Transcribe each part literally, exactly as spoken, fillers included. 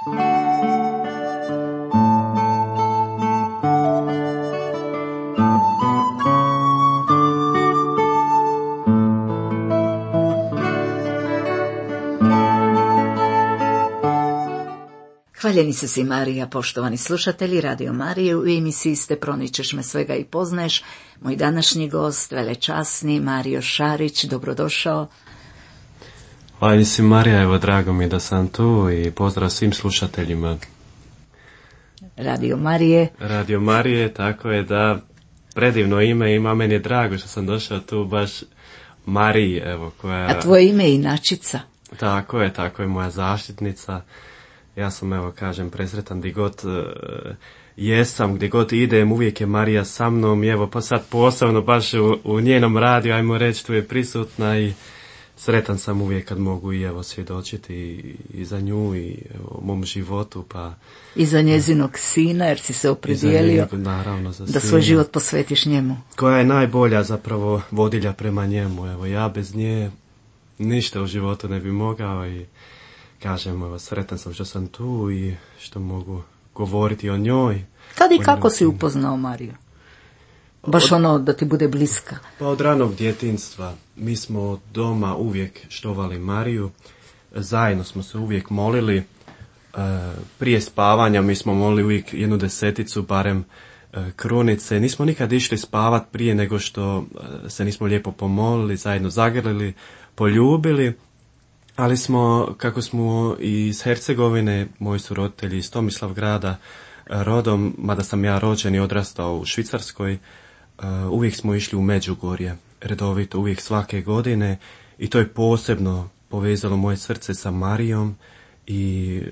Hvaljeni su si Marija, poštovani slušatelji Radio Marije, u emisiji ste Proničeš me svega i poznaješ. Moj današnji gost, velečasni Mario Šarić, dobrodošao. Hvaljeni si Marija, evo drago mi da sam tu i pozdrav svim slušateljima. Radio Marije. Radio Marije, tako je, da, predivno ime ima, meni je drago što sam došao tu baš Mariji, evo, koja... A tvoje ime je inačica? Tako je, tako je, moja zaštitnica. Ja sam, evo, kažem, presretan gdje god uh, jesam, gdje god idem, uvijek je Marija sa mnom i evo, pa sad posebno baš u, u njenom radiju, ajmo reći, tu je prisutna i sretan sam uvijek kad mogu i evo svjedočiti i, i za nju i evo, u mom životu, pa... I za njezinog sina, jer si se opredijelio njenog, naravno, za da svoj život posvetiš njemu. Koja je najbolja zapravo vodilja prema njemu, evo, ja bez nje ništa u životu ne bi mogao i... Kažem, evo, sretan sam što sam tu i što mogu govoriti o njoj. Kad i kako si upoznao Mariju? Baš od, ono da ti bude bliska. Pa od ranog djetinjstva. Mi smo doma uvijek štovali Mariju. Zajedno smo se uvijek molili. E, prije spavanja mi smo molili uvijek jednu deseticu, barem e, krunice. Nismo nikad išli spavat prije nego što e, se nismo lijepo pomolili, zajedno zagrlili, poljubili. Ali smo, kako smo iz Hercegovine, moji su roditelji iz Tomislavgrada rodom, mada sam ja rođen i odrastao u Švicarskoj, uvijek smo išli u Međugorje, redovito, uvijek svake godine i to je posebno povezalo moje srce sa Marijom i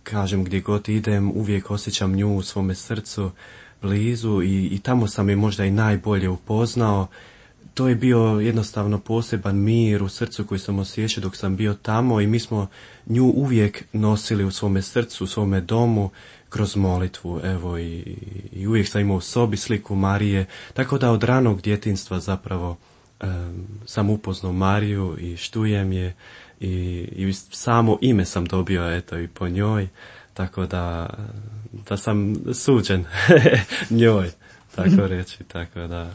kažem gdje god idem uvijek osjećam nju u svome srcu blizu i, i tamo sam je možda i najbolje upoznao. To je bio jednostavno poseban mir u srcu koji sam osjećao dok sam bio tamo i mi smo nju uvijek nosili u svome srcu, u svome domu kroz molitvu, evo i, i uvijek sam imao u sobi sliku Marije, tako da od ranog djetinjstva zapravo um, sam upoznao Mariju i štujem je i, i samo ime sam dobio eto i po njoj, tako da, da sam suđen njoj. Tako reći, tako da...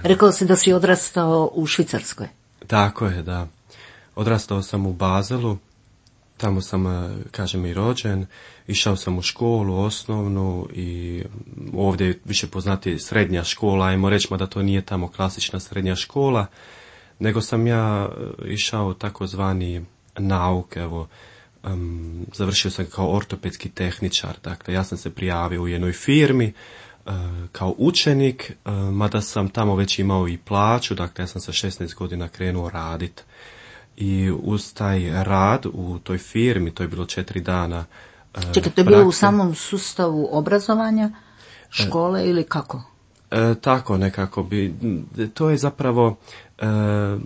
Rekao si da si odrastao u Švicarskoj. Tako je, da. Odrastao sam u Bazelu, tamo sam, kažem, i rođen, išao sam u školu osnovnu i ovdje je više poznati srednja škola, ajmo reći, da to nije tamo klasična srednja škola, nego sam ja išao takozvani nauk, evo, um, završio sam kao ortopedski tehničar, dakle, ja sam se prijavio u jednoj firmi, kao učenik, mada sam tamo već imao i plaću, dakle ja sam sa šesnaest godina krenuo raditi. I uz taj rad u toj firmi, to je bilo četiri dana. Čekaj, to je bilo u samom sustavu obrazovanja, škole e, ili kako? E, tako nekako bi, to je zapravo, e,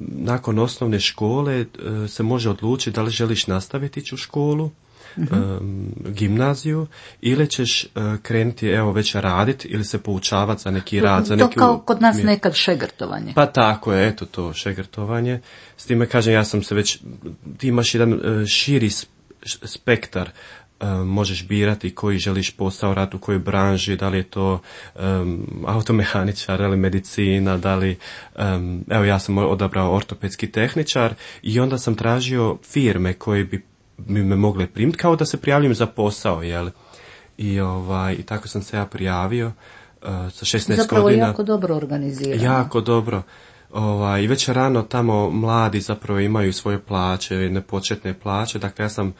nakon osnovne škole e, se može odlučiti da li želiš nastaviti ići u školu, Um, gimnaziju ili ćeš uh, krenuti evo već raditi ili se poučavati za neki rad. Za to neki kao kod nas nekad šegrtovanje. Pa tako je, eto to šegrtovanje. S time kažem, ja sam se već, ti imaš jedan uh, širi spektar, uh, možeš birati koji želiš posao raditi u kojoj branži, da li je to um, automehaničar ili medicina, da li, um, evo ja sam odabrao ortopedski tehničar i onda sam tražio firme koje bi mi me mogle primiti, kao da se prijavljam za posao, jel? I, ovaj, i tako sam se ja prijavio uh, sa šesnaest zapravo godina. Zapravo jako dobro organizirano. Jako dobro. Ovaj, i već rano tamo mladi zapravo imaju svoje plaće, jedne početne plaće, dakle ja sam...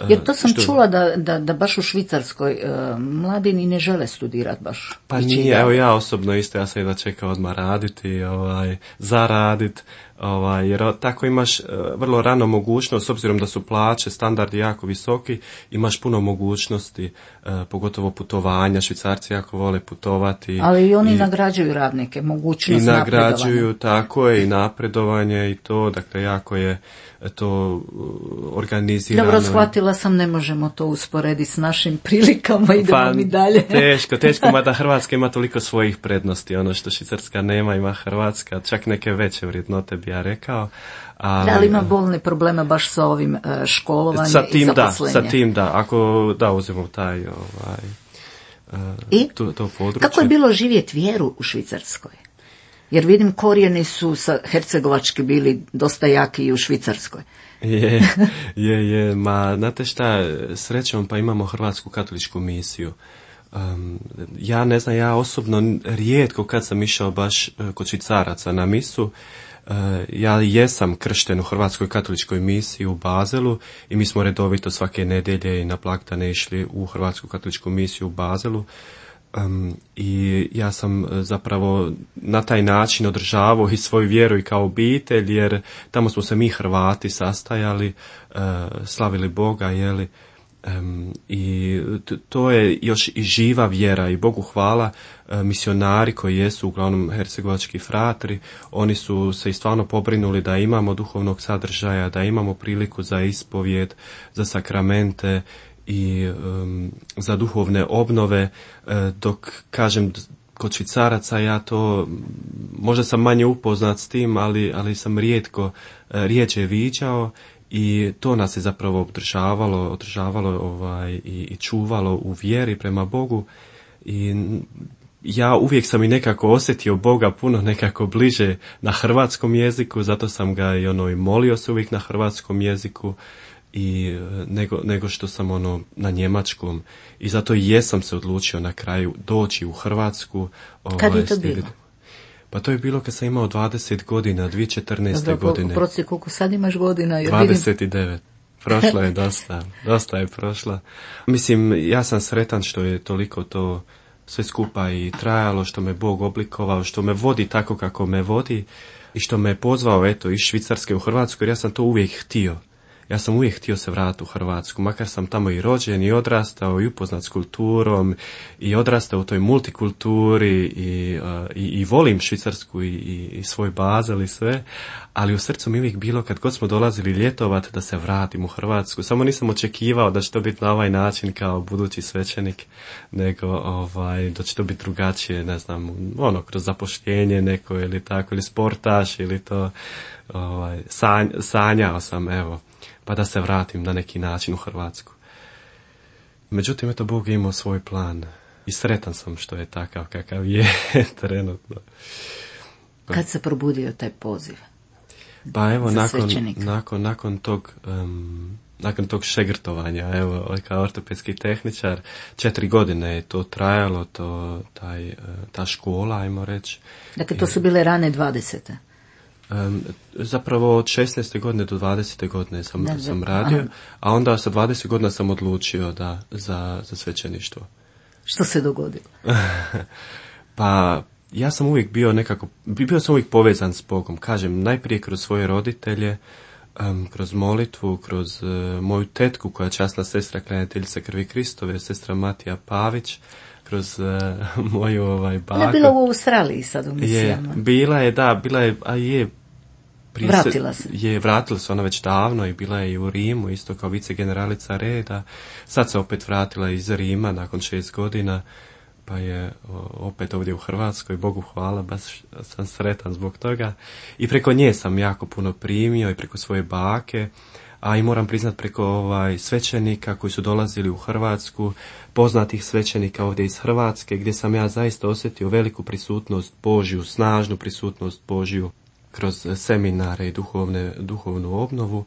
Jer to sam što... čula da, da, da baš u Švicarskoj uh, mladi ni ne žele studirati baš. Pa nije, evo ja osobno isto, ja sam jedva čekao odmah raditi, ovaj, zaradit, ovaj, jer tako imaš uh, vrlo rano mogućnost, s obzirom da su plaće, standardi jako visoki, imaš puno mogućnosti, uh, pogotovo putovanja, Švicarci jako vole putovati. Ali i oni i, nagrađuju radnike, mogućnost napredovanja. I nagrađuju, tako je, i napredovanje i to, dakle jako je to organizirano. Dobro, shvatila sam, ne možemo to usporediti s našim prilikama, idemo pa, mi dalje. Teško, teško, mada Hrvatska ima toliko svojih prednosti, ono što Švicarska nema, ima Hrvatska, čak neke veće vrijednote bi ja rekao. Ali, da li ima bolne problema baš sa ovim školovanjem sa tim, i zaposlenjem? Da, sa tim da, ako da uzmemo taj ovaj, I to, to područje. Kako je bilo živjeti vjeru u Švicarskoj? Jer vidim korijeni su sa hercegovački bili dosta jaki i u Švicarskoj. Je, je, je, ma znate šta, srećom pa imamo Hrvatsku katoličku misiju. Um, ja ne znam, ja osobno rijetko kad sam išao baš kod Švicaraca na misu. Uh, ja jesam kršten u Hrvatskoj katoličkoj misiji u Bazelu i mi smo redovito svake nedjelje i na blagdane išli u Hrvatsku katoličku misiju u Bazelu. Um, i ja sam zapravo na taj način održavao i svoju vjeru i kao obitelj, jer tamo smo se mi Hrvati sastajali, uh, slavili Boga, jeli, um, i t- to je još i živa vjera i Bogu hvala, uh, misionari koji jesu uglavnom hercegovački fratri, oni su se i stvarno pobrinuli da imamo duhovnog sadržaja, da imamo priliku za ispovjed, za sakramente i um, za duhovne obnove, uh, dok kažem kod Švicaraca ja to, možda sam manje upoznat s tim, ali, ali sam rijetko, uh, rijeđe viđao i to nas je zapravo održavalo, održavalo ovaj, i, i čuvalo u vjeri prema Bogu i ja uvijek sam i nekako osjetio Boga puno nekako bliže na hrvatskom jeziku, zato sam ga i ono i molio se uvijek na hrvatskom jeziku i nego, nego što sam ono na njemačkom i zato i jesam se odlučio na kraju doći u Hrvatsku. Kad ovaj, je to bilo? Pa to je bilo kad sam imao dvadeset godina, dvije tisuće četrnaeste. Dobro, godine. Proci, koliko sad imaš godina? Jer dvadeset devet. Prošla je dosta, dosta je prošla. Mislim, ja sam sretan što je toliko to sve skupa i trajalo, što me Bog oblikovao, što me vodi tako kako me vodi i što me je pozvao eto iz Švicarske u Hrvatsku, jer ja sam to uvijek htio. Ja sam uvijek htio se vratiti u Hrvatsku, makar sam tamo i rođen i odrastao i upoznat s kulturom i odrastao u toj multikulturi i, uh, i, i volim Švicarsku i, i, i svoj Bazel i sve, ali u srcu mi uvijek bilo kad god smo dolazili ljetovat da se vratim u Hrvatsku. Samo nisam očekivao da će to biti na ovaj način kao budući svećenik, nego ovaj, da će to biti drugačije, ne znam, ono, kroz zapošljenje neko ili tako, ili sportaš ili to, ovaj, sanj, sanjao sam, evo, pa da se vratim na neki način u Hrvatsku. Međutim, eto, Bog je imao svoj plan i sretan sam što je takav kakav je trenutno. Kad se probudio taj poziv? Pa evo, nakon, nakon, nakon tog um, nakon tog šegrtovanja, evo, kao ortopedski tehničar, četiri godine je to trajalo, to, taj, ta škola, ajmo reći. Dakle, to su bile rane dvadesete. Um, zapravo od šesnaeste godine do dvadesete godine sam, da, sam radio, aha. A onda sa dvadeset godina sam odlučio da, za, za svećeništvo. Što se dogodilo? Pa ja sam uvijek bio nekako, bio sam uvijek povezan s Bogom, kažem, najprije kroz svoje roditelje, um, kroz molitvu, kroz uh, moju tetku koja je časna sestra klanjateljica krvi Kristove, sestra Matija Pavić, kroz uh, moju ovaj baku. Ona je bila u Australiji sad u misijama. Je, bila je, da, bila je, a je, Prije vratila se. Je, vratila se ona već davno i bila je i u Rimu, isto kao vicegeneralica reda. Sad se opet vratila iz Rima nakon šest godina, pa je opet ovdje u Hrvatskoj, Bogu hvala, baš sam sretan zbog toga. I preko nje sam jako puno primio i preko svoje bake, a i moram priznat preko ovaj svećenika koji su dolazili u Hrvatsku, poznatih svećenika ovdje iz Hrvatske, gdje sam ja zaista osjetio veliku prisutnost Božju, snažnu prisutnost Božju kroz seminare i duhovne, duhovnu obnovu.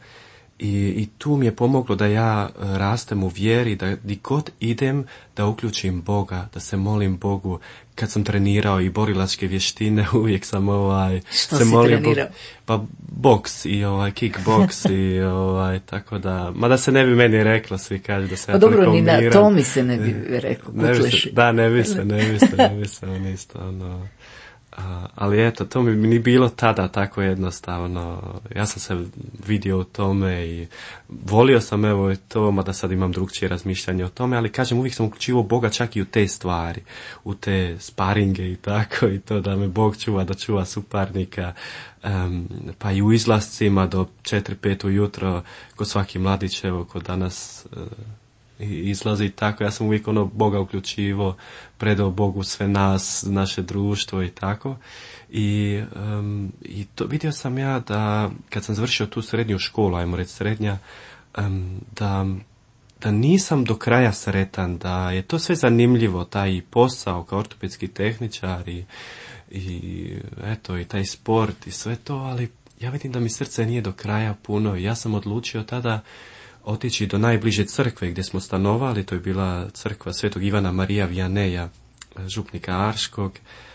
I, I tu mi je pomoglo da ja rastem u vjeri, da di god idem da uključim Boga, da se molim Bogu. Kad sam trenirao i borilačke vještine, uvijek sam ovaj Što se si molim trenirao? Bo, pa boks i ovaj kickboks i ovaj tako da, mada se ne bi meni reklo, svi kažu da se pa ja dobro, ni miram. na to mi se ne bi reklo. Ne bi se, da, ne bi se, ne bi se, ne bi se, on isto, ono. A, ali eto, to mi ni bilo tada tako jednostavno. Ja sam se vidio u tome i volio sam evo to, mada sad imam drugčije razmišljanje o tome, ali kažem, uvijek sam uključivao Boga čak i u te stvari, u te sparinge i tako, i to da me Bog čuva, da čuva suparnika, um, pa i u izlascima do četiri pet ujutro, ko svaki mladić, evo, ko danas uh, i izlazi tako. Ja sam uvijek ono Boga uključivo, predao Bogu sve nas, naše društvo i tako. I, um, i to vidio sam ja da kad sam završio tu srednju školu, ajmo reći srednja, um, da, da nisam do kraja sretan, da je to sve zanimljivo, taj posao kao ortopedski tehničar i, i eto i taj sport i sve to, ali ja vidim da mi srce nije do kraja puno. Ja sam odlučio tada otići do najbliže crkve gdje smo stanovali, to je bila crkva Svetog Ivana Marija Vianeja, župnika Arškog.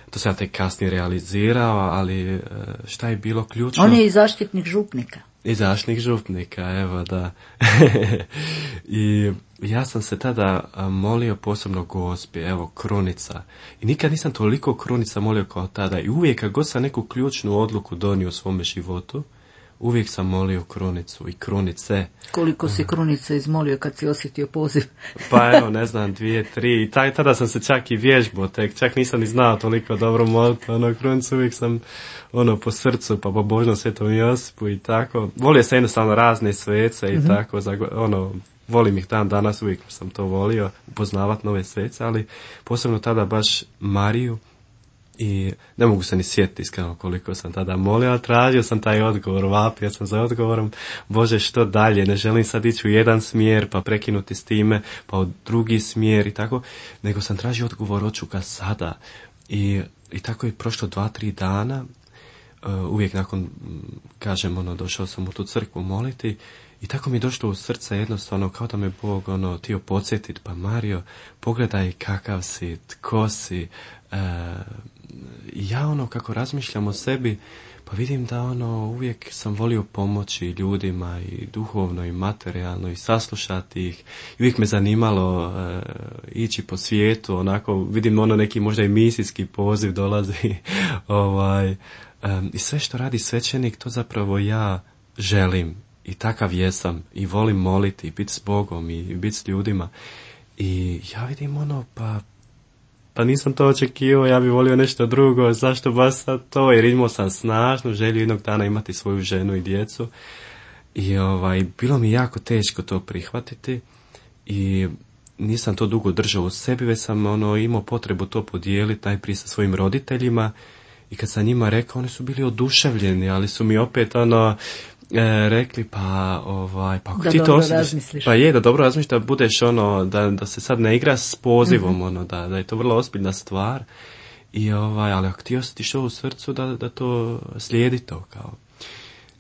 To sam ja tek kasnije realizirao, ali šta je bilo ključno? On je i zaštitnik župnika. I zaštitnik župnika, evo da. I ja sam se tada molio posebno Gospi, evo krunica. I nikad nisam toliko krunica molio kao tada. I uvijek kad god sam neku ključnu odluku donio u svome životu, uvijek sam molio krunicu i krunice. Koliko si krunica izmolio kad si osjetio poziv? Pa evo, ne znam, dvije, tri. I taj, tada sam se čak i vježbao, tek čak nisam ni znao toliko dobro moliti. Ono, krunicu uvijek sam ono po srcu, pa po Božnom Svetom Josipu i tako. Volio sam jednostavno razne svece i mm-hmm. tako, za, ono, volim ih dan danas, uvijek sam to volio, upoznavati nove svece, ali posebno tada baš Mariju. I ne mogu se ni sjetiti iskreno koliko sam tada molio, ali tražio sam taj odgovor, vapio sam za odgovorom, Bože što dalje, ne želim sad ići u jedan smjer pa prekinuti s time, pa u drugi smjer i tako, nego sam tražio odgovor, hoću ga sada. I, i tako je prošlo dva, tri dana, uh, uvijek nakon, kažem, ono, došao sam u tu crkvu moliti i tako mi je došlo u srce jednostavno, kao da me Bog, ono, htio podsjetiti, pa Mario, pogledaj kakav si, tko si. Uh, ja ono kako razmišljam o sebi, pa vidim da ono uvijek sam volio pomoći ljudima i duhovno i materijalno i saslušati ih. I uvijek me zanimalo uh, ići po svijetu, onako vidim ono neki možda i misijski poziv dolazi. ovaj, um, I sve što radi svećenik, to zapravo ja želim i takav jesam i volim moliti i biti s Bogom i, i biti s ljudima. I ja vidim ono pa Pa nisam to očekivao, ja bih volio nešto drugo, zašto baš sad to, jer imao sam snažnu želju jednog dana imati svoju ženu i djecu. I ovaj, bilo mi jako teško to prihvatiti i nisam to dugo držao u sebi, već sam ono, imao potrebu to podijeliti najprije sa svojim roditeljima i kad sam njima rekao, oni su bili oduševljeni, ali su mi opet ono... E, rekli pa ovaj pa ako da ti to osjetiš, pa je da dobro razmisliš da budeš ono da da se sad ne igra s pozivom mm-hmm. ono da da je to vrlo ozbiljna stvar i ovaj ali ako ti osjetiš ovo u srcu da da to slijedi to kao.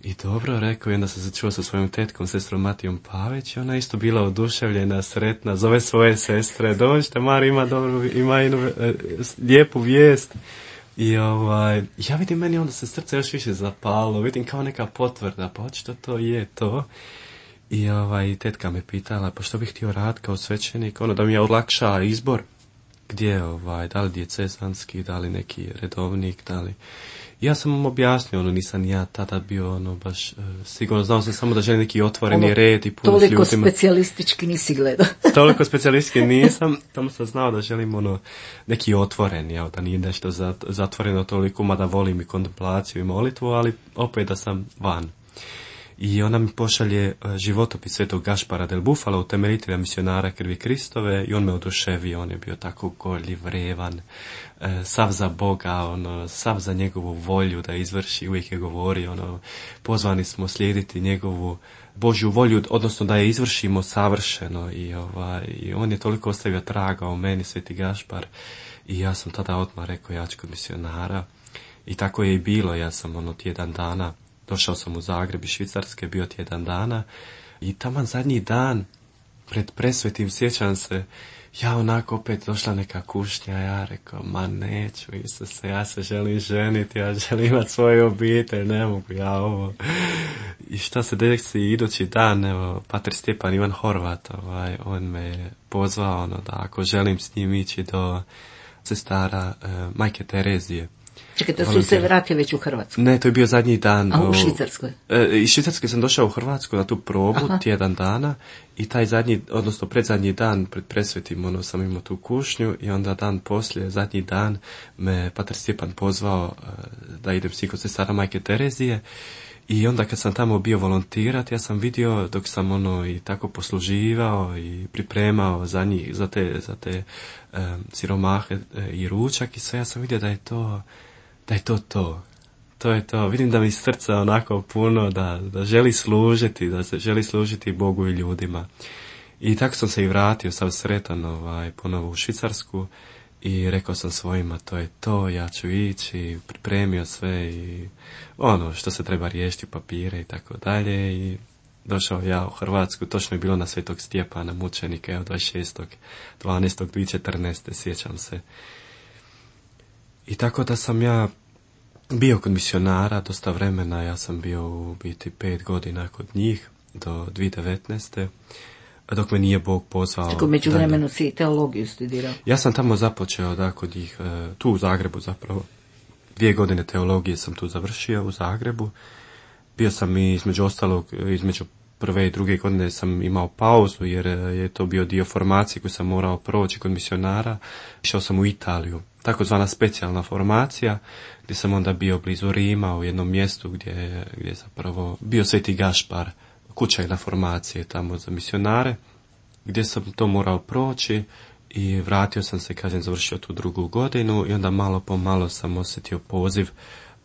I dobro rekao i onda sam se čuo sa svojom tetkom, sestrom Matijom Pavić i ona isto bila oduševljena, sretna, zove svoje sestre, dođite Mari ima dobro ima jednu e, lijepu vijest. I ovaj, ja vidim meni onda se srce još više zapalo, vidim kao neka potvrda, pa očito to je to. I ovaj, tetka me pitala, pa što bih htio raditi kao svećenik, ono da mi je olakša izbor, gdje ovaj, da li djecezanski, da li neki redovnik, da li... Ja sam mu objasnio, ono, nisam ja tada bio, ono, baš, uh, sigurno znao sam samo da želim neki otvoreni ono, red i puno s ljudima. Toliko specijalistički nisi gledao. Toliko specijalistički nisam, tamo sam znao da želim, ono, neki otvoreni, evo, da nije nešto zatvoreno toliko, mada volim i kontemplaciju i molitvu, ali opet da sam van. I ona mi pošalje životopis Svetog Gašpara del Bufala, utemeljitelja misionara krvi Kristove, i on me oduševio, on je bio tako gorljiv, revan, sav za Boga, ono, sav za njegovu volju da izvrši, uvijek je govorio, ono, pozvani smo slijediti njegovu Božju volju, odnosno da je izvršimo savršeno, i, ovaj, i on je toliko ostavio traga u meni, Sveti Gašpar, i ja sam tada odmah rekao, ja ću kod misionara, i tako je i bilo, ja sam ono tjedan dana, došao sam u Zagreb iz Švicarske, bio tjedan dana, i taman zadnji dan, pred presvetim, sjećam se, ja onako opet došla neka kušnja, ja rekao, ma neću, Isuse, ja se želim ženiti, ja želim imati svoju obitelj, ne mogu ja ovo. I šta se desi idući dan, evo, pater Stjepan Ivan Horvat, ovaj, on me je pozvao, ono, da ako želim s njim ići do sestara eh, Majke Terezije. Čekaj, to su se vratili već u Hrvatsku? Ne, to je bio zadnji dan. A u Švicarskoj? E, iz Švicarske sam došao u Hrvatsku na tu probu, aha, tjedan dana, i taj zadnji, odnosno predzadnji dan pred presvetim, ono, sam imao tu kušnju, i onda dan poslije, zadnji dan, me pater Stjepan pozvao uh, da idem s njim kod sestara Majke Terezije, I onda kad sam tamo bio volontirat, ja sam vidio dok sam ono i tako posluživao i pripremao za njih, za te, za te um, siromahe i ručak i sve, ja sam vidio da je to, da je to to. To je to. Vidim da mi srca onako puno, da, da želi služiti, da se želi služiti Bogu i ljudima. I tako sam se i vratio, sam sretan ovaj, ponovo u Švicarsku i rekao sam svojima, to je to, ja ću ići, pripremio sve i ono što se treba riješiti, papire i tako dalje. I došao ja u Hrvatsku, točno je bilo na Svetog Stjepana, mučenika, evo dvadeset šestog dvanaestog dvije tisuće četrnaeste. sjećam se. I tako da sam ja bio kod misionara dosta vremena, ja sam bio u biti pet godina kod njih do dvije tisuće devetnaeste. Dok me nije Bog pozvao. Tako među vremenu si i teologiju studirao? Ja sam tamo započeo, da, kod njih, tu u Zagrebu zapravo. Dvije godine teologije sam tu završio u Zagrebu. Bio sam i između ostalog, između prve i druge godine sam imao pauzu, jer je to bio dio formacije koju sam morao proći kod misionara. Išao sam u Italiju, takozvana specijalna formacija, gdje sam onda bio blizu Rima, u jednom mjestu gdje, gdje je zapravo bio Sveti Gašpar, kućajna formacije tamo za misionare, gdje sam to morao proći i vratio sam se, kažem, završio tu drugu godinu i onda malo po malo sam osjetio poziv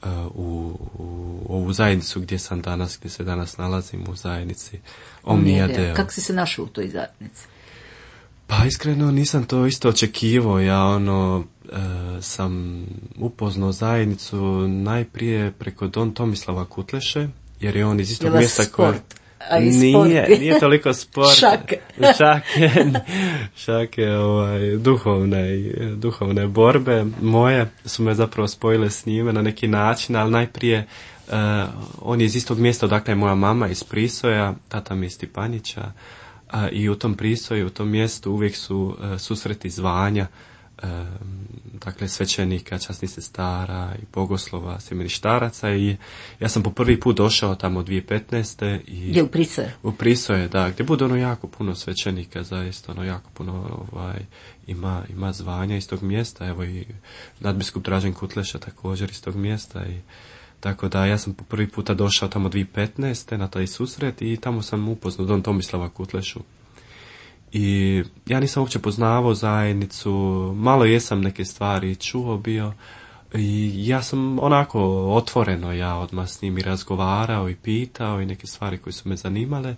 uh, u, u ovu zajednicu gdje sam danas, gdje se danas nalazim, u zajednici Omnia Deo. Kako si se našao u toj zajednici? Pa iskreno nisam to isto očekivao, ja ono e, sam upoznao zajednicu najprije preko Don Tomislava Kutleše, jer je on iz istog mjesta koje... Nije, nije toliko sport. Šake. Šake, šake ovaj, duhovne, duhovne borbe moje su me zapravo spojile s njime na neki način, ali najprije uh, on je iz istog mjesta odakle je moja mama, iz Prisoja, tata mi je iz Stipanića, uh, i u tom Prisoju, u tom mjestu uvijek su uh, susreti zvanja, dakle svećenika, časnih sestara i bogoslova, semeništaraca, i ja sam po prvi put došao tamo dvije tisuće petnaeste. I gdje u Prisoje? U Prisoje, da, gdje bude ono jako puno svećenika, zaista ono jako puno ovaj, ima, ima zvanja iz tog mjesta, evo i nadbiskup Dražen Kutleša također iz tog mjesta, i tako da ja sam po prvi puta došao tamo dvije tisuće petnaeste na taj susret i tamo sam upoznao Don Tomislava Kutlešu. I ja nisam uopće poznavao zajednicu, malo jesam neke stvari čuo bio i ja sam onako otvoreno ja odmah s njim i razgovarao i pitao i neke stvari koje su me zanimale.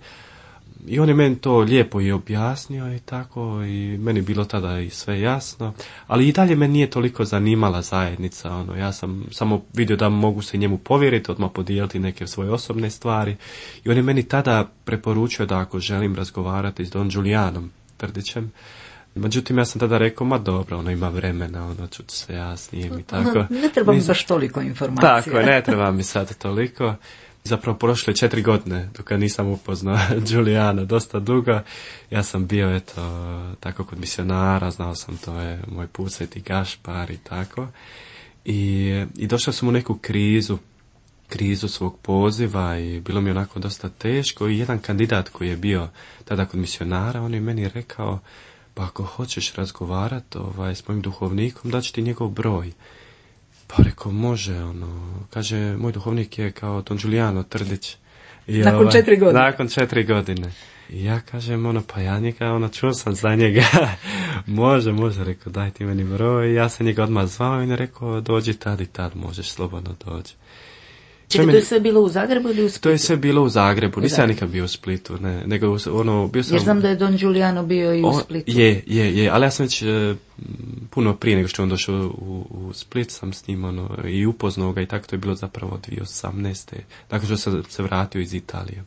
I on je meni to lijepo i objasnio i tako, i meni je bilo tada i sve jasno, ali i dalje me nije toliko zanimala zajednica, ono, ja sam samo vidio da mogu se njemu povjeriti, odmah podijeliti neke svoje osobne stvari, i on je meni tada preporučio da ako želim razgovarati s Don Julijanom Trdićem, međutim ja sam tada rekao, ma dobro, ono ima vremena, ono ću se ja s njim i tako. Ne treba mi baš toliko informacija. Tako, ne treba mi sad toliko. Zapravo prošle četiri godine dok nisam upoznao Julijana, dosta dugo. Ja sam bio eto tako kod misionara, znao sam to je moj put, Sveti Gašpar i tako. I, i došao sam u neku krizu, krizu svog poziva i bilo mi onako dosta teško, i jedan kandidat koji je bio tada kod misionara, on je meni rekao, pa ako hoćeš razgovarati ovaj, s mojim duhovnikom, daću ti njegov broj. Pa rekao, može, ono, kaže, moj duhovnik je kao Don Giuliano Trdić. I nakon ovaj, četiri godine. Nakon četiri godine. I ja kažem, ono, pa ja njega, ono, čuo sam za njega. može, može, rekao, daj ti meni broj. Ja sam njega odmah zvao i ne rekao, dođi tad i tad, možeš slobodno doći. Čekaj, to je sve bilo u Zagrebu ili u Splitu? To je sve bilo u Zagrebu, nisam ja nikad bio u Splitu, ne, nego ono, bio sam... Jer znam da je Don Giuliano bio i u Splitu. O, je, je, je, ali ja sam već e, puno prije nego što on došao u, u Split, sam s njim ono, i upoznao ga, i tako to je bilo zapravo dvije tisuće osamnaeste. Dakle što sam se vratio iz Italije.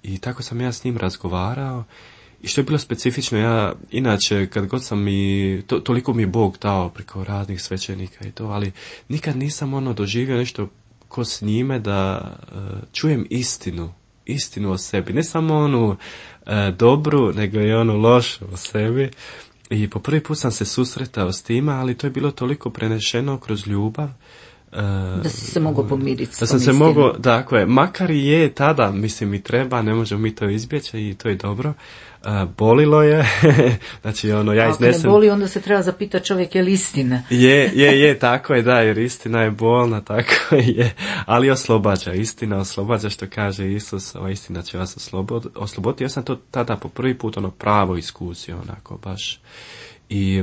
I tako sam ja s njim razgovarao, i što je bilo specifično, ja inače kad god sam i, to, toliko mi je Bog dao preko raznih svećenika i to, ali nikad nisam ono doživio nešto ko s njime da uh, čujem istinu, istinu o sebi, ne samo onu uh, dobru, nego i onu lošu o sebi. I po prvi put sam se susretao s tima, ali to je bilo toliko prenešeno kroz ljubav, uh, Da si se mogao pomiriti s Da tom sam se istinom. mogao, dakle, makar i je tada, mislim i treba, ne možemo mi to izbjeći i to je dobro. Uh, bolilo je, znači ono, ja Ako iznesem... ne boli, onda se treba zapitati čovjek je li istina. Je, je, je, tako je, da, jer istina je bolna, tako je, ali oslobađa, istina oslobađa, što kaže Isus, ova istina će vas oslobod, osloboditi. Ja sam to tada po prvi put ono pravo iskusio, onako, baš. I,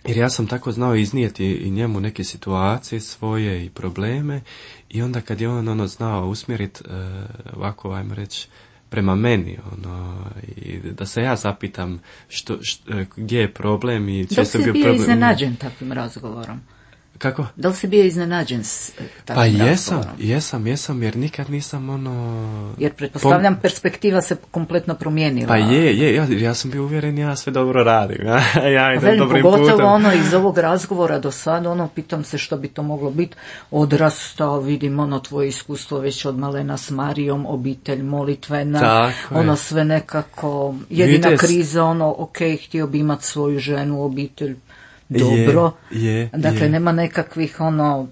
jer ja sam tako znao iznijeti i njemu neke situacije svoje i probleme, i onda kad je on ono znao usmjeriti, uh, ovako, ajmo reći, prema meni, ono, i da se ja zapitam što, što, gdje je problem i često sam bio bio problem. iznenađen takvim razgovorom? Kako? Da li si bio iznenađen s takvim pa jesam, razgovorom? jesam, jesam, jer nikad nisam ono... Jer pretpostavljam, pom... perspektiva se kompletno promijenila. Pa je, je, ja, ja sam bio uvjeren, ja sve dobro radim, ja, ja idem Velim, dobrim pogotovo putem. ono iz ovog razgovora do sada, ono, pitam se što bi to moglo biti, odrastao, vidim ono tvoje iskustvo već od malena s Marijom, obitelj molitvena, tako ono je. sve nekako, jedina Vides... kriza, ono, ok, htio bi imati svoju ženu, obitelj, dobro, je, je, dakle je. nema nekakvih ono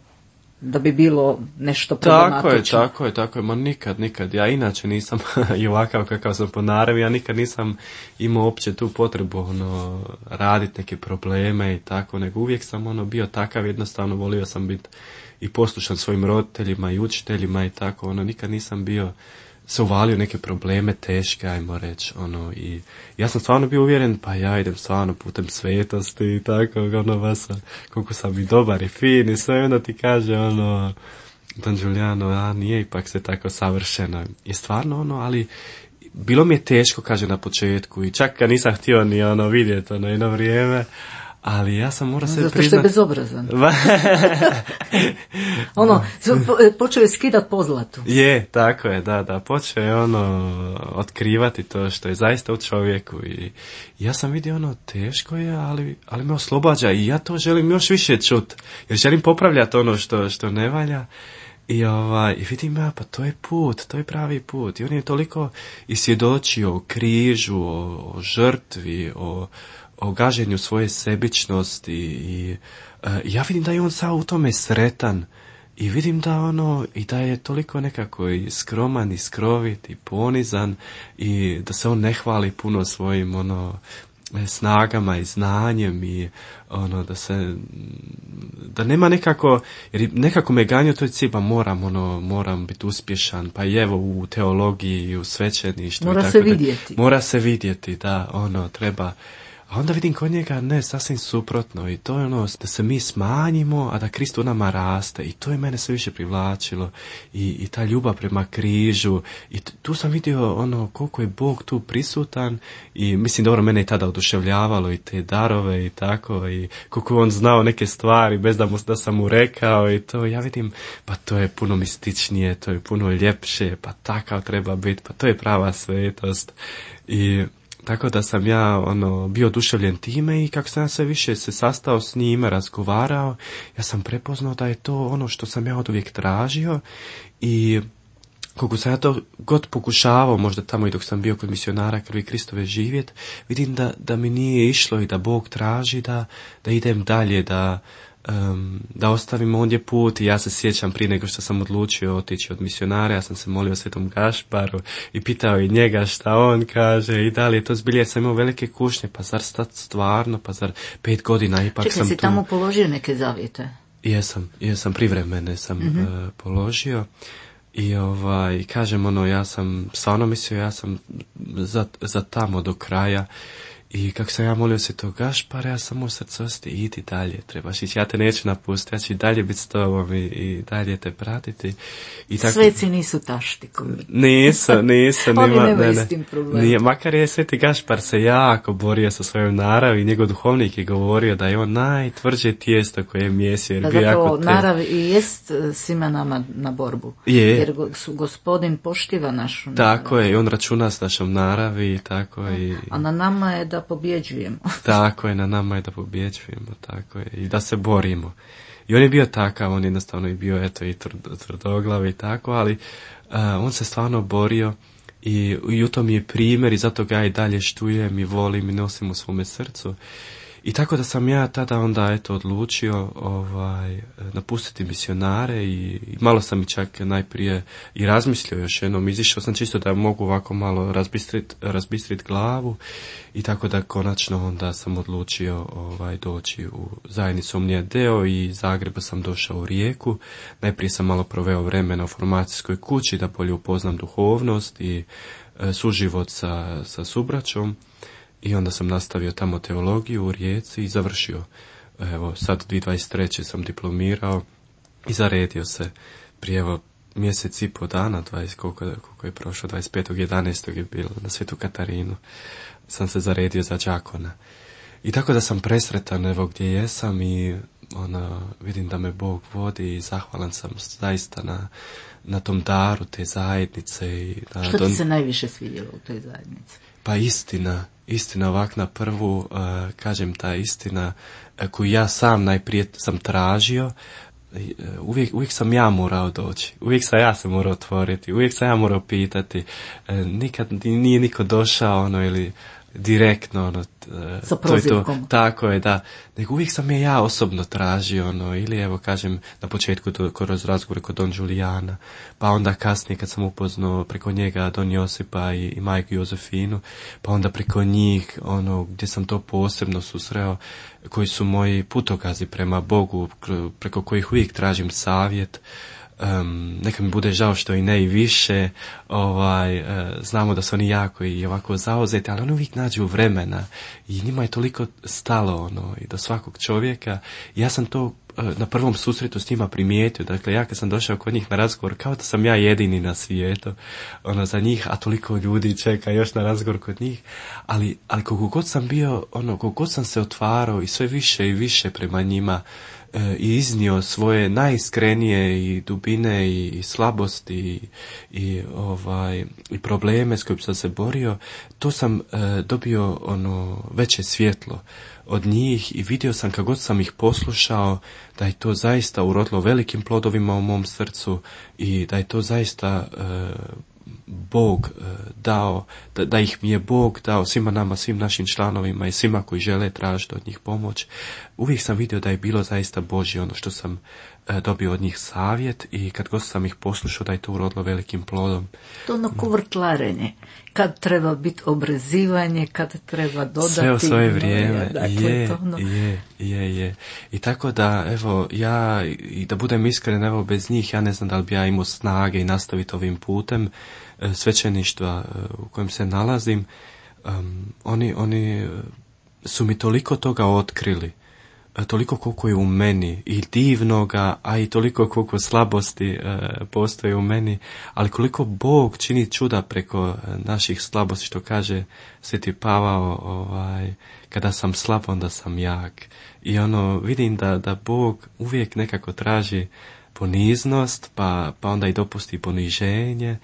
da bi bilo nešto problematično. Tako je, tako je, tako je, ma nikad, nikad, ja inače nisam i ovakav kakav sam po naravi, ja nikad nisam imao uopće tu potrebu ono, raditi neke probleme i tako, nego uvijek sam ono bio takav, jednostavno volio sam biti i poslušan svojim roditeljima i učiteljima i tako, ono, nikad nisam bio se uvalio neke probleme teške, ajmo reći, ono, i ja sam stvarno bio uvjeren, pa ja idem stvarno putem svetosti i tako, ono, vas, koliko sam i dobar i fin i sve, onda ti kaže, ono, Don Giuliano, a nije ipak se tako savršeno. I stvarno, ono, ali bilo mi je teško, kaže, na početku, i čak kad nisam htio ni, ono, vidjeti, ono, jedno vrijeme, ali ja sam morao se priznat... Zato što je bezobrazan. ono, počeo je skidat pozlatu. Je, tako je, da, da, počeo je ono, otkrivati to što je zaista u čovjeku i ja sam vidio ono, teško je, ali, ali me oslobađa i ja to želim još više čut, jer želim popravljati ono što, što ne valja. I, ovaj, i vidim ja, pa to je put, to je pravi put. I on je toliko i svjedočio o križu, o, o žrtvi, o, o gaženju svoje sebičnosti i uh, ja vidim da je on sad u tome sretan i vidim da ono i da je toliko nekako i skroman i skrovit i ponizan i da se on ne hvali puno svojim ono snagama i znanjem i ono da se da nema nekako jer nekako me ganjao to cilj, pa moram ono moram biti uspješan, pa i evo u teologiji i u svećeništvu mora i tako se da, vidjeti mora se vidjeti da ono treba. A onda vidim kod njega ne, sasvim suprotno i to je ono da se mi smanjimo, a da Krist u nama raste i to je mene sve više privlačilo i, i ta ljubav prema križu i t- tu sam vidio ono koliko je Bog tu prisutan i mislim dobro mene je tada oduševljavalo i te darove i tako i koliko on znao neke stvari bez da, mu, da sam mu rekao i to ja vidim pa to je puno mističnije, to je puno ljepše, pa takav treba biti, pa to je prava svetost i tako da sam ja ono bio oduševljen time i kako sam ja sve više se sastao s njima, razgovarao, ja sam prepoznao da je to ono što sam ja oduvijek tražio i koliko sam ja to god pokušavao, možda tamo i dok sam bio kod misionara Krvi Kristove živjet, vidim da, da mi nije išlo i da Bog traži da, da idem dalje, da Um, da ostavim ondje put i ja se sjećam prije nego što sam odlučio otići od misionara, ja sam se molio Svetom Gašparu i pitao i njega šta on kaže i da li je to zbilje, sam imao velike kušnje, pa zar stvarno, pa zar pet godina ipak Čekaj, sam si tu. tamo položio neke zavjete? Jesam, jesam privremene sam mm-hmm. uh, položio i ovaj, kažem ono, ja sam stvarno mislio, ja sam za, za tamo do kraja. I kako sam ja molio se to Gašpara, ja sam u srcosti, idi dalje, trebaš ići, ja te neću napustiti, ja ću i dalje biti s tobom i, i dalje te pratiti. I tako, sveci nisu taštikovi. Nisu, nisu. Oni nima, nemaju ne, ne, s tim problem. Nije, makar je Sveti Gašpar se jako borio sa svojom naravi, njegov duhovnik je govorio da je on najtvrđe tijesto koje je mjesio. Da zapravo narav i jest svima nama na borbu. Je. Jer su gospodin poštiva našu narav. Tako je, i on računa s našom naravi i tako i... A na nama je da pobjeđujemo. Tako je, na nama je da pobjeđujemo, tako je, i da se borimo. I on je bio takav, on jednostavno je bio, eto, i tvrdoglav i tako, ali uh, on se stvarno borio i, i u tom je primjer i zato ga ja i dalje štujem i volim i nosim u svome srcu. I tako da sam ja tada onda eto odlučio ovaj, napustiti misionare i, i malo sam i čak najprije i razmislio još jednom, izišao sam čisto da mogu ovako malo razbistrit, razbistrit glavu i tako da konačno onda sam odlučio ovaj, doći u zajednicu Omnia Deo i iz Zagreba sam došao u Rijeku. Najprije sam malo proveo vremena u formacijskoj kući da bolje upoznam duhovnost i e, suživot sa, sa subraćom. I onda sam nastavio tamo teologiju u Rijeci i završio. Evo, sad dvije tisuće dvadeset treće sam diplomirao i zaredio se prije evo mjesec i po dana, dvadeset, koliko, koliko je prošlo, dvadeset petog jedanaestog je bilo na Svetu Katarinu, sam se zaredio za đakona. I tako da sam presretan evo gdje jesam i ona, vidim da me Bog vodi i zahvalan sam zaista na, na tom daru te zajednice. I na Što ti don... se najviše svidjelo u toj zajednici? Pa istina, istina ovak na prvu, uh, kažem ta istina uh, koju ja sam najprije sam tražio, uh, uvijek, uvijek sam ja morao doći, uvijek sam ja se morao otvoriti, uvijek sam ja morao pitati, uh, nikad nije niko došao ono ili direktno ono, sa to je to, prozivkom. tako je, da, nego uvijek sam je ja osobno tražio, ono, ili evo kažem na početku to, kroz razgovore kod Don Julijana, pa onda kasnije kad sam upoznao preko njega Don Josipa i, i majku Jozefinu, pa onda preko njih, ono, gdje sam to posebno susreo, koji su moji putokazi prema Bogu, preko kojih uvijek tražim savjet. Um, neka mi bude žao što i ne i više, ovaj, uh, znamo da su oni jako i ovako zauzeti, ali oni uvijek nađu vremena i njima je toliko stalo ono, i do svakog čovjeka. I ja sam to uh, na prvom susretu s njima primijetio, dakle ja kad sam došao kod njih na razgovor, kao da sam ja jedini na svijetu ono, za njih, a toliko ljudi čeka još na razgovor kod njih, ali, ali koliko god sam bio, ono, koliko god sam se otvarao i sve više i više prema njima, i iznio svoje najiskrenije i dubine i, i slabosti i, i ovaj i probleme s kojim sam se borio, to sam e, dobio ono veće svjetlo od njih i vidio sam kako god sam ih poslušao da je to zaista urodilo velikim plodovima u mom srcu i da je to zaista e, Bog dao, da, da ih mi je Bog dao svima nama, svim našim članovima i svima koji žele tražiti od njih pomoć. Uvijek sam vidio da je bilo zaista Božje ono što sam e, dobio od njih savjet i kad god sam ih poslušao da je to urodilo velikim plodom. To ono kuvrtlarenje, kad treba biti obrezivanje, kad treba dodati. Sve u svoje vrijeme, dakle, je, to ono... je, je, je. I tako da, evo, ja, i da budem iskren, evo, bez njih, ja ne znam da li bi ja imao snage i nastaviti ovim putem svećeništva u kojem se nalazim. Um, oni, oni su mi toliko toga otkrili, toliko koliko je u meni i divnoga, a i toliko koliko slabosti e, postoje u meni, ali koliko Bog čini čuda preko naših slabosti, što kaže Sveti Pavao, ovaj, kada sam slab, onda sam jak. I ono, vidim da, da Bog uvijek nekako traži poniznost, pa, pa onda i dopusti poniženje,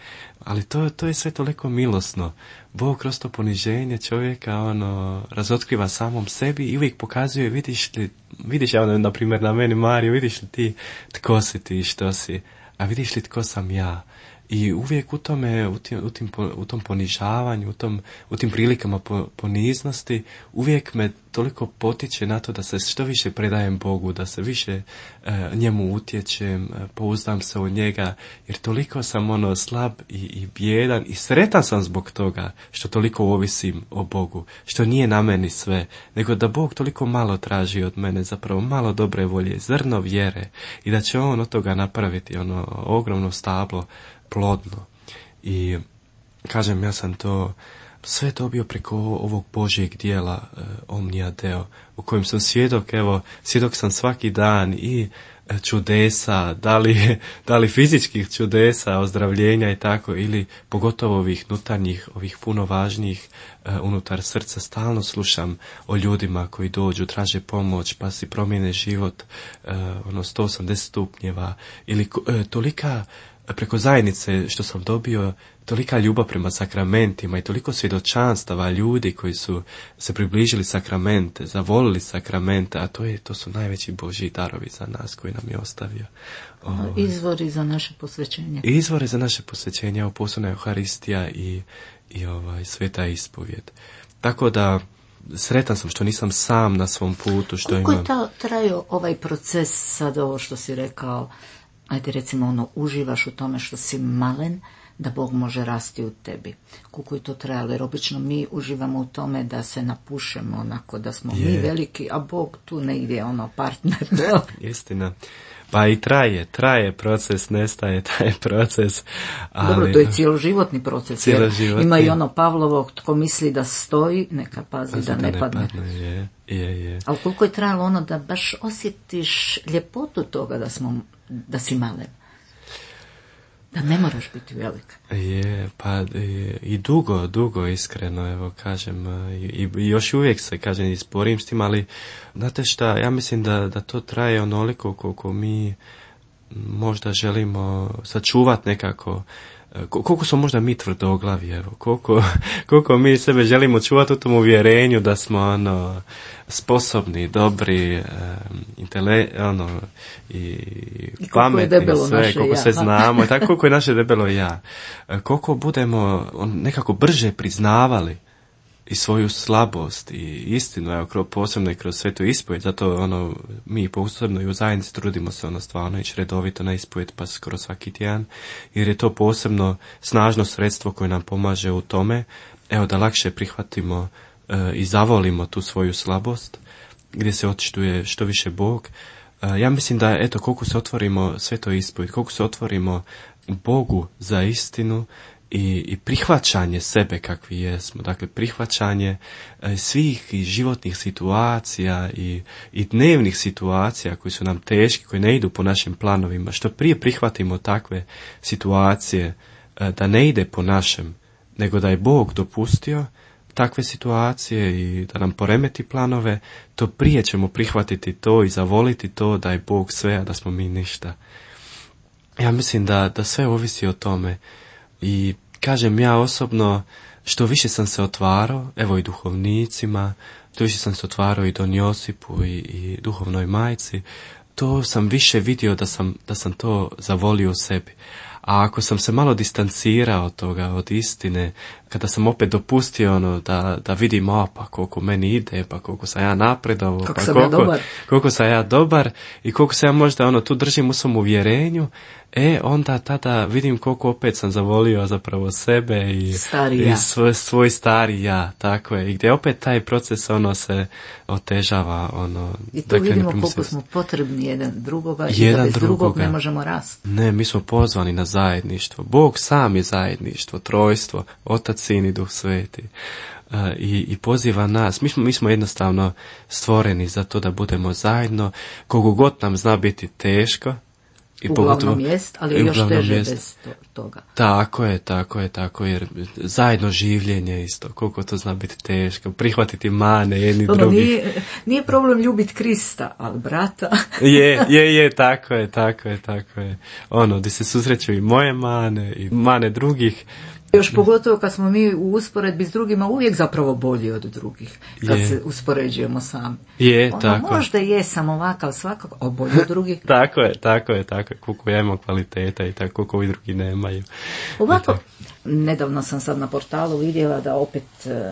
ali to, to je sve toliko milosno. Bog kroz to poniženje čovjeka ono razotkriva samom sebi i uvijek pokazuje, vidiš li, vidiš ja ono, na primjer na meni Mario, vidiš li ti tko si ti, što si, a vidiš li tko sam ja. I uvijek u tome, u, tim, u, tim, u tom ponižavanju, u, tom, u tim prilikama poniznosti, uvijek me toliko potiče na to da se što više predajem Bogu, da se više e, njemu utječem, e, pouzdam se u njega, jer toliko sam ono slab i, i bijedan i sretan sam zbog toga što toliko ovisim o Bogu, što nije na meni sve, nego da Bog toliko malo traži od mene, zapravo malo dobre volje, zrno vjere i da će on od toga napraviti ono ogromno stablo plodno. I kažem, ja sam to sve dobio preko ovog Božjeg dijela e, Omnia Deo, u kojem sam svjedok, evo, svjedok sam svaki dan i e, čudesa, da li, da li fizičkih čudesa, ozdravljenja i tako, ili pogotovo ovih unutarnjih, ovih puno važnijih e, unutar srca. Stalno slušam o ljudima koji dođu, traže pomoć, pa si promijene život, e, ono, sto osamdeset stupnjeva, ili e, tolika preko zajednice što sam dobio, tolika ljubav prema sakramentima i toliko svjedočanstava ljudi koji su se približili sakramente, zavolili sakramente, a to je to su najveći Božji darovi za nas koji nam je ostavio. Ovaj. Izvori za naše posvećenje. Izvori za naše posvećenje, ovo posebna Euharistija i, i ovaj, sveta ispovjed. Tako da sretan sam što nisam sam na svom putu. Što Koliko imam... je ta, trajao ovaj proces, sad ovo što si rekao, ajde recimo ono, uživaš u tome što si malen, da Bog može rasti u tebi. Koliko je to trajalo, jer obično mi uživamo u tome da se napušemo onako, da smo je. mi veliki, a Bog tu negdje ono partner. Istina. Pa i traje, traje proces, nestaje taj proces. Ali... Dobro, to je cijeloživotni proces. Cijeloživotni. Ima i ono Pavlovo, tko misli da stoji, neka pazi da, da ne, ne padne. padne. Je, je, je. Ali koliko je trajalo ono da baš osjetiš ljepotu toga da, smo, da si malen. Da ne moraš biti velika. Je, pa i, i dugo, dugo iskreno, evo kažem, i, i još uvijek se, kažem, i sporim s tim, ali znate šta, ja mislim da, da to traje onoliko koliko mi možda želimo sačuvati nekako, koliko smo možda mi tvrdoglavi, evo, koliko, koliko mi sebe želimo čuvati u tom uvjerenju da smo ono sposobni, dobri, um, intele, ono, i, I pametni, sve, naše koliko ja. sve znamo, tako koliko je naše debelo ja. Koliko budemo on, nekako brže priznavali i svoju slabost i istinu, evo, posebno i kroz svetu ispovijed, zato ono, mi posebno i u zajednici trudimo se ono stvarno ići redovito na ispovijed pa skoro svaki tjedan, jer je to posebno snažno sredstvo koje nam pomaže u tome, evo, da lakše prihvatimo e, i zavolimo tu svoju slabost, gdje se očituje što više Bog. E, ja mislim da, eto, koliko se otvorimo svetoj ispovijed, koliko se otvorimo Bogu za istinu, I, i prihvaćanje sebe kakvi jesmo, dakle prihvaćanje e, svih i životnih situacija i, i dnevnih situacija koji su nam teški, koji ne idu po našim planovima, što prije prihvatimo takve situacije e, da ne ide po našem, nego da je Bog dopustio takve situacije i da nam poremeti planove, to prije ćemo prihvatiti to i zavoliti to da je Bog sve, a da smo mi ništa. Ja mislim da, da sve ovisi o tome. I kažem, ja osobno, što više sam se otvarao, evo i duhovnicima, što više sam se otvarao i Don Josipu i, i duhovnoj majci, to sam više vidio da sam, da sam to zavolio u sebi. A ako sam se malo distancirao od toga, od istine, kada sam opet dopustio ono da, da vidim, a pa koliko meni ide, pa koliko sam ja napredovao, pa sam koliko, ja koliko sam ja dobar i koliko se ja možda ono tu držim u svom uvjerenju, e onda tada vidim koliko opet sam zavolio zapravo sebe i, i svoj, svoj stari ja, tako je. I gdje opet taj proces ono se otežava. Ono, I tu dakle, vidimo koliko smo potrebni jedan drugoga i jedan da bez drugoga. drugog ne možemo rasti. Ne, mi smo pozvani na zajedništvo. Bog sam je zajedništvo, trojstvo, Otac, Sin i Duh Sveti. Uh, i, i poziva nas. Mi smo, mi smo jednostavno stvoreni za to da budemo zajedno. Koliko god nam zna biti teško, I uglavnom jest, ali još teže jest. Bez toga. Tako je, tako je, tako jer zajedno življenje isto, koliko to zna biti teško, prihvatiti mane jedni ono, drugi. Nije, nije problem ljubiti Krista, ali brata. je, je, je, tako je, tako je, tako je. Ono, gdje se susreću i moje mane i mane drugih. Još pogotovo kad smo mi u usporedbi s drugima uvijek zapravo bolji od drugih, kad je. se uspoređujemo sami. Je, ono, tako. Možda je sam ovakav svakako, a bolji od drugih. tako je, tako je, tako je, koliko ja imam kvaliteta i tako koliko i drugi nemaju. Ovako, nedavno sam sad na portalu vidjela da opet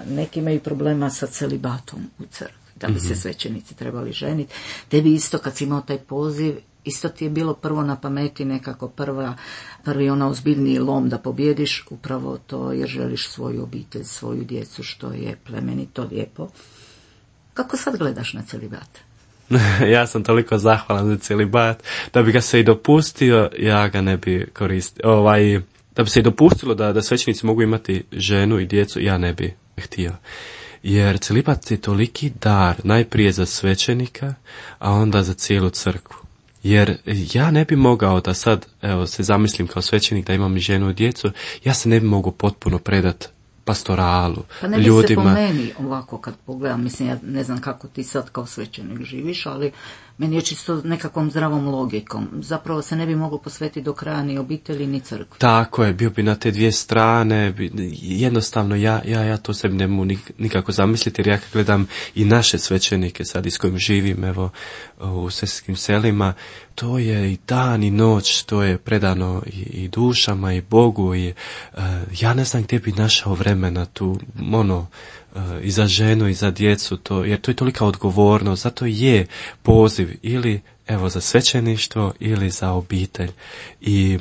neki imaju problema sa celibatom u crkvi, da bi mm-hmm. se svećenici trebali ženiti. Tebi isto kad si imao taj poziv, isto ti je bilo prvo na pameti nekako prva, prvi ona ozbiljniji lom da pobjediš, upravo to jer želiš svoju obitelj, svoju djecu, što je plemenito, lijepo. Kako sad gledaš na celibat? Ja sam toliko zahvalan za celibat, da bi ga se i dopustio, ja ga ne bi koristio. Ovaj, da bi se i dopustilo da, da svećenici mogu imati ženu i djecu, ja ne bi htio. Jer celibat je toliki dar, najprije za svećenika, a onda za cijelu crkvu. Jer ja ne bi mogao da sad, evo, se zamislim kao svećenik da imam ženu i djecu, ja se ne bi mogao potpuno predat pastoralu, pa ne bi ljudima. Se po meni ovako kad pogledam, mislim, ja ne znam kako ti sad kao svećenik živiš, ali meni je čisto nekakvom zdravom logikom. Zapravo se ne bi moglo posvetiti do kraja ni obitelji ni crkvi. Tako je, bio bi na te dvije strane, jednostavno ja, ja, ja to sebi ne mogu nikako zamisliti, jer ja kad gledam i naše svećenike sad s kojim živim, evo, u sestskim selima, to je i dan i noć, to je predano i, i dušama i Bogu i uh, ja ne znam gdje bi našao vremena vremena tu, ono, i za ženu i za djecu, to, jer to je tolika odgovornost, zato je poziv ili evo za svećeništvo ili za obitelj. I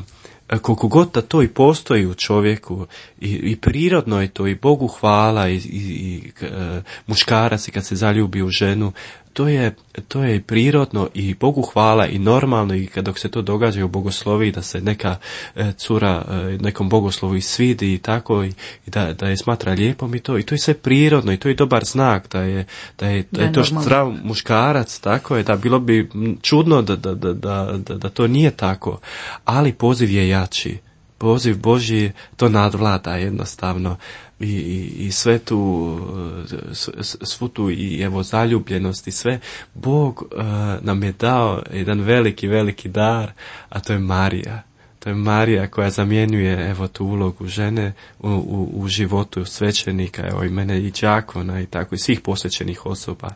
koliko god da to i postoji u čovjeku i, i prirodno je to i Bogu hvala i, i, i e, muškarac i kad se zaljubi u ženu, to je, to je i prirodno i Bogu hvala i normalno i kad dok se to događa u bogosloviji da se neka e, cura e, nekom bogoslovu i svidi i tako i, i da, da je smatra lijepom i to i to je sve prirodno i to je dobar znak da je, da je, da je to zdrav muškarac, tako je, da bilo bi čudno da, da, da, da, da, da to nije tako, ali poziv je jači. Poziv Božji to nadvlada jednostavno i, i, i sve tu, svu tu i evo zaljubljenost i sve. Bog uh, nam je dao jedan veliki, veliki dar, a to je Marija. To je Marija koja zamjenjuje evo tu ulogu žene u, u, u životu svećenika, evo i mene i đakona i tako i svih posvećenih osoba.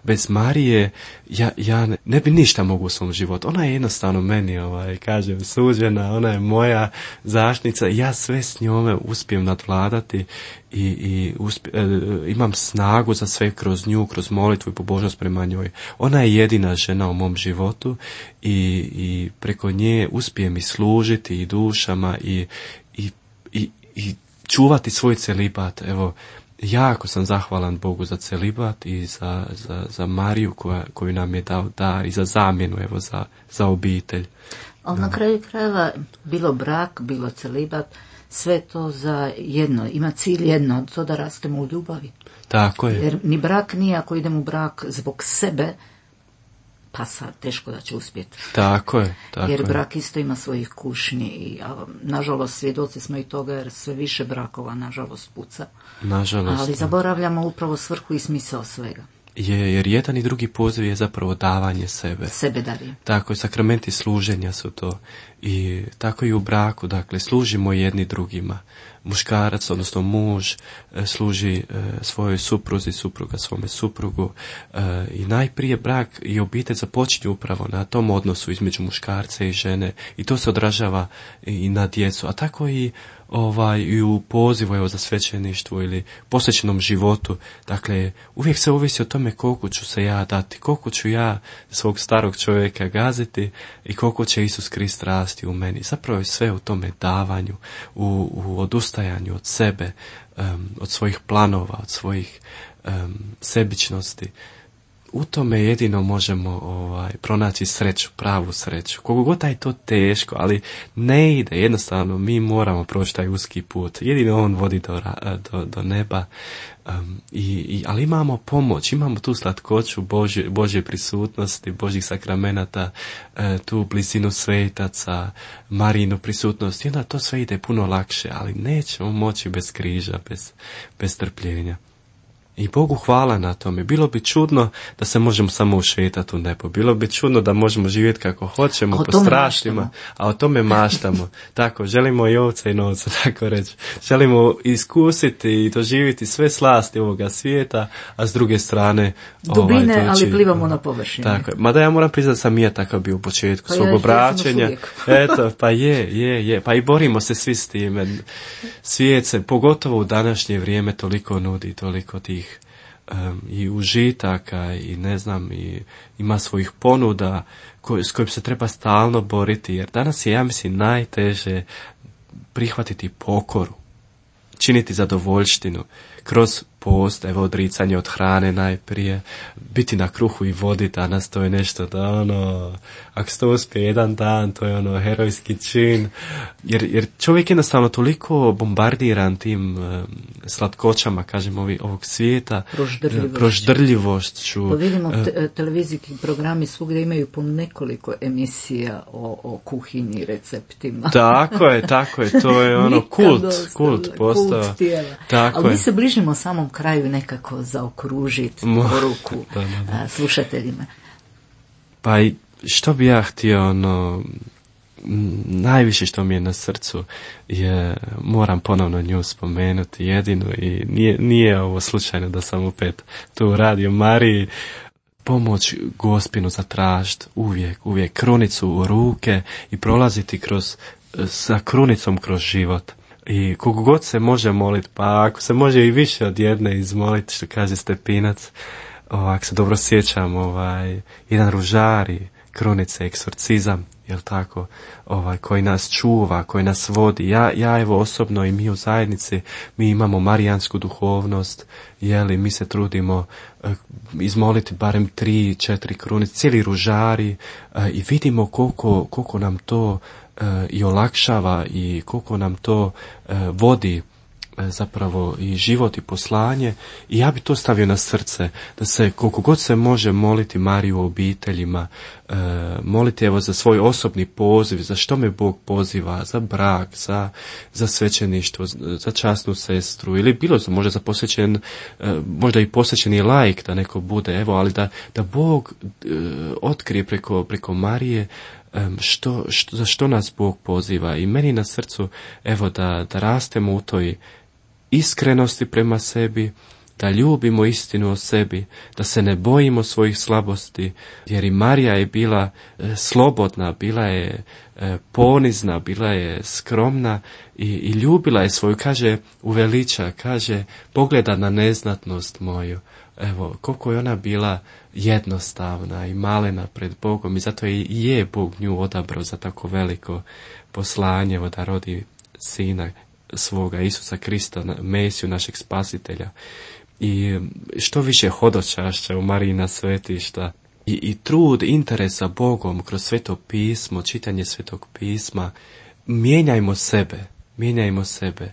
Bez Marije ja, ja ne, ne bi ništa mogu u svom životu. Ona je jednostavno meni, ovaj, kažem, suđena, ona je moja zaštitnica. Ja sve s njome uspijem nadvladati i, i uspje, e, imam snagu za sve kroz nju, kroz molitvu i pobožnost prema njoj. Ona je jedina žena u mom životu i, i preko nje uspijem i služiti i dušama i, i, i, i čuvati svoj celibat. Evo, jako sam zahvalan Bogu za celibat i za, za, za Mariju koja, koju nam je dao dar i za zamjenu, evo, za, za obitelj. Ali na kraju krajeva, bilo brak, bilo celibat, sve to za jedno, ima cilj jedno, to da rastemo u ljubavi. Tako je. Jer ni brak nije, ako idem u brak zbog sebe, pa sad teško da će uspjeti. Tako je. Tako jer je. brak isto ima svojih kušnji i a, nažalost svjedoci smo i toga jer sve više brakova nažalost puca. Nažalost. Ali zaboravljamo upravo svrhu i smisao svega. Je, jer jedan i drugi poziv je zapravo davanje sebe. Sebe darije. Tako je, sakramenti služenja su to. I tako i u braku, dakle, služimo jedni drugima. Muškarac, odnosno muž, služi e, svojoj supruzi, supruga svome suprugu. E, I najprije brak i obitelj započinju upravo na tom odnosu između muškarca i žene. I to se odražava i na djecu. A tako i ovaj i u pozivu evo za svećeništvo ili posvećenom životu. Dakle, uvijek se ovisi o tome koliko ću se ja dati, koliko ću ja svog starog čovjeka gaziti i koliko će Isus Krist rasti u meni. Zapravo je sve u tome davanju, u, u odustajanju od sebe, um, od svojih planova, od svojih um, sebičnosti. U tome jedino možemo ovaj, pronaći sreću, pravu sreću. Koliko god je to teško, ali ne ide, jednostavno mi moramo proći taj uski put. Jedino on vodi do, do, do neba. Um, i, i, ali imamo pomoć, imamo tu slatkoću Božje, Božje prisutnosti, Božjih sakramenata, e, tu blizinu svetaca, Marijinu prisutnost. I onda to sve ide puno lakše, ali nećemo moći bez križa, bez, bez trpljenja. I Bogu hvala na tome. Bilo bi čudno da se možemo samo ušetati u nebo. Bilo bi čudno da možemo živjeti kako hoćemo, po straštima, a o tome maštamo. Tako, želimo i ovca i novca, tako reći. Želimo iskusiti i doživjeti sve slasti ovoga svijeta, a s druge strane dubine, ovaj, ali plivamo na površini. Tako, mada ja moram priznati da sam i ja takav bio u početku pa svog ja, obraćenja. Eto, pa je, je, je. Pa i borimo se svi s time. Svijet se, pogotovo u današnje vrijeme, toliko nudi, toliko tih Um, i užitaka i ne znam i ima svojih ponuda koj, s kojim se treba stalno boriti, jer danas je, ja mislim, najteže prihvatiti pokoru, činiti zadovoljštinu kroz post, evo odricanje od hrane najprije, biti na kruhu i vodi danas, to je nešto da ono, ako se to uspije jedan dan, to je ono herojski čin, jer, jer čovjek je jednostavno toliko bombardiran tim um, slatkoćama, kažem, ovi, ovog svijeta, proždrljivošću. proždrljivošću. Pa vidimo, te, televizijski programi svugdje imaju po nekoliko emisija o, o kuhinji, receptima. Tako je, tako je, to je ono kult, kult postao. Kult tijela. Tako ali je. Mi se bližimo samom kraju nekako zaokružiti poruku da, da, da. slušateljima. Pa i što bi ja htio, ono, najviše što mi je na srcu je, moram ponovno nju spomenuti jedinu i nije, nije ovo slučajno da sam opet tu u Radio Mariji. Pomoć Gospinu zatražiti uvijek, uvijek krunicu u ruke i prolaziti kroz, sa krunicom kroz život. I koliko god se može moliti, pa ako se može i više od jedne izmoliti, što kaže Stepinac, ovak se dobro sjećam, ovaj, jedan ružari, krunice, eksorcizam, jel tako, ovaj, koji nas čuva, koji nas vodi. Ja, ja evo osobno i mi u zajednici, mi imamo marijansku duhovnost, jeli, mi se trudimo uh, izmoliti barem tri, četiri krunice, cijeli ružari uh, i vidimo koliko, koliko nam to uh, i olakšava i koliko nam to uh, vodi zapravo i život i poslanje. I ja bi to stavio na srce, da se koliko god se može moliti Mariju u obiteljima, e, moliti evo za svoj osobni poziv, za što me Bog poziva, za brak, za, za svećeništvo, za časnu sestru ili bilo za, možda za posvećen, e, možda i posvećeni laik da neko bude, evo, ali da, da Bog e, otkrije preko, preko Marije što, što, za što nas Bog poziva. I meni na srcu evo da, da rastemo u toj iskrenosti prema sebi, da ljubimo istinu o sebi, da se ne bojimo svojih slabosti, jer i Marija je bila e, slobodna, bila je e, ponizna, bila je skromna i, i ljubila je svoju, kaže, uveliča, kaže, pogleda na neznatnost moju. Evo, koliko je ona bila jednostavna i malena pred Bogom i zato je, je Bog nju odabrao za tako veliko poslanje, da rodi sina svoga Isusa Krista, Mesiju, našeg spasitelja. I što više hodočašća u Marijina svetišta i, i trud, interes za Bogom kroz Sveto pismo, čitanje Svetog pisma, mijenjajmo sebe, mijenjajmo sebe.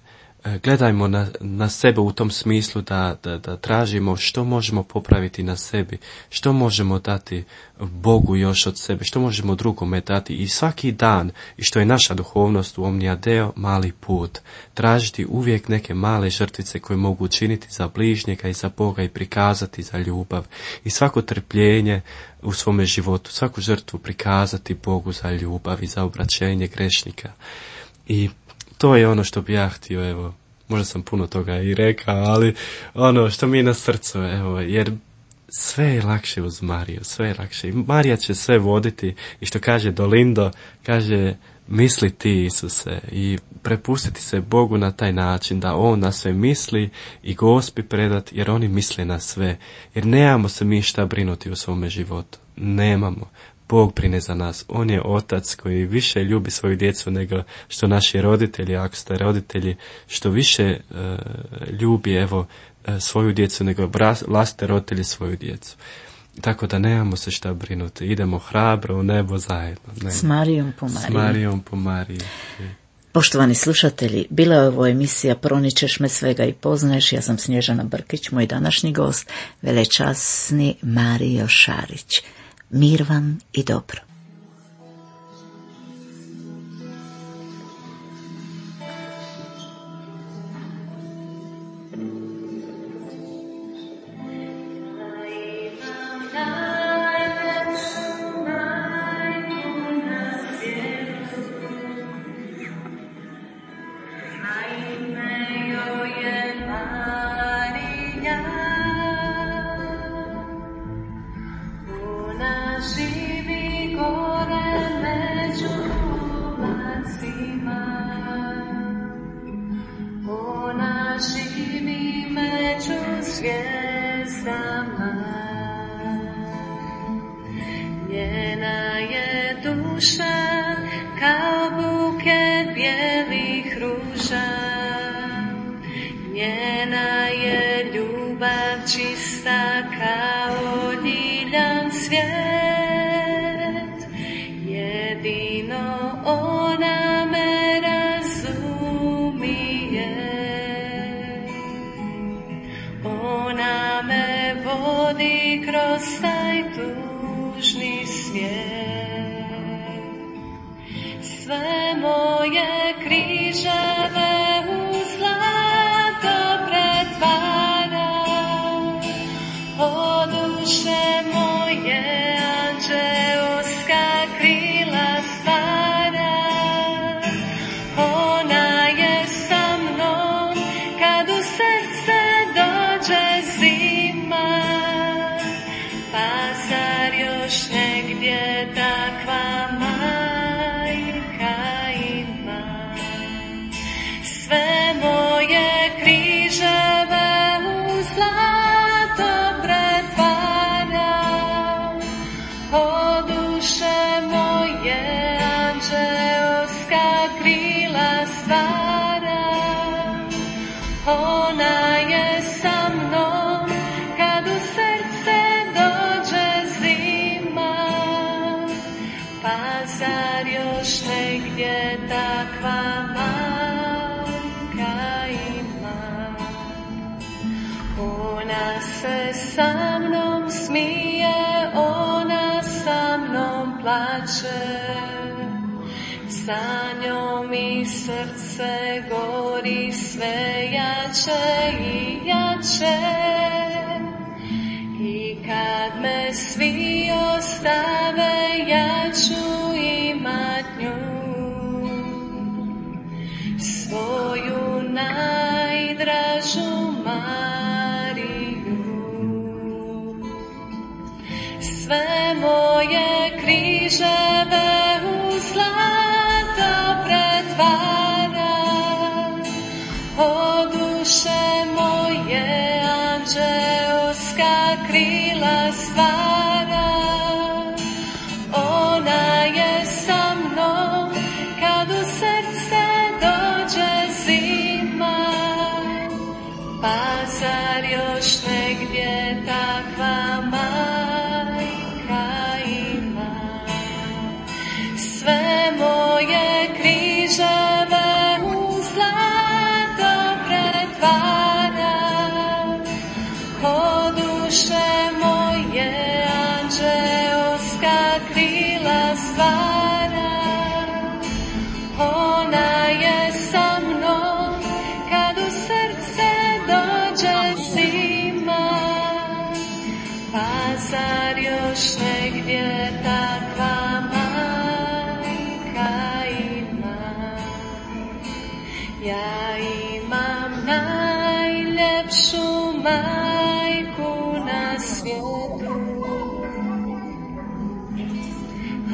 Gledajmo na, na sebe u tom smislu da, da, da tražimo što možemo popraviti na sebi, što možemo dati Bogu još od sebe, što možemo drugome dati i svaki dan, i što je naša duhovnost u Omnia Deo, mali put. Tražiti uvijek neke male žrtvice koje mogu učiniti za bližnjega i za Boga i prikazati za ljubav. I svako trpljenje u svome životu, svaku žrtvu prikazati Bogu za ljubav i za obraćenje grešnika. I to je ono što bi ja htio, evo, možda sam puno toga i rekao, ali ono što mi je na srcu, evo, jer sve je lakše uz Mariju, sve je lakše. I Marija će sve voditi i što kaže Dolindo, kaže, misli ti, Isuse, i prepustiti se Bogu na taj način da On na sve misli i Gospi predati, jer oni misle na sve. Jer nemamo se mi šta brinuti u svome životu. Nemamo. Bog brine za nas. On je otac koji više ljubi svoju djecu nego što naši roditelji, ako ste roditelji, što više e, ljubi evo e, svoju djecu nego vlastite roditelji svoju djecu. Tako da nemamo se šta brinuti. Idemo hrabro u nebo zajedno. Ne. S Marijom po Mariji. S Marijom po Mariji. Poštovani slušatelji, bila je ovo emisija Proničeš me svega i poznaješ. Ja sam Snježana Brkić, moj današnji gost, velečasni Marijo Šarić. Mir vam i dobro. Živi gore među lacima, ona živi među zvijezdama, njena je duša kao buket bijelih ruža, njena je ljubav čista kao ljiljan svijet. Jedino ona me razumije, ona me vodi kroz taj tužni svijet. Sve moje križeve u zlato pretvara, o duše moje anđeoska krila stvara. Ona je sa mnom kad u srce dođe zima, pa zar još negdje takva majka ima? Sve još negdje takva majka ima. Ona se sa mnom smije, ona sa mnom plače. Sa njom i srce gori sve jače i jače. I kad me svi ostave, ja ću imat nju, svoju najdražu Mariju. Sve moje križeve u zlato pretvara, o duše moje anđeoska krila stvara. Ona je sa mnom kad u srce dođe zima, pa zar još negdje takva majka ima. Sve moje križeve u zlato pretvara, o duše moje anđeoska krila stvara. Ona je sa mnom kad u srce dođe zima, pa zar još negdje takva majka ima. Ja imam najljepšu majku na svijetu,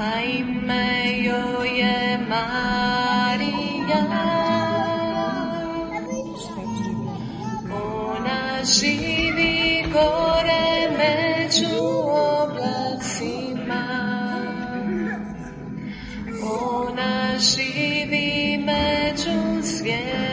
a ime joj je Marija. Ona živi gore među oblacima, ona živi među zvijezdama.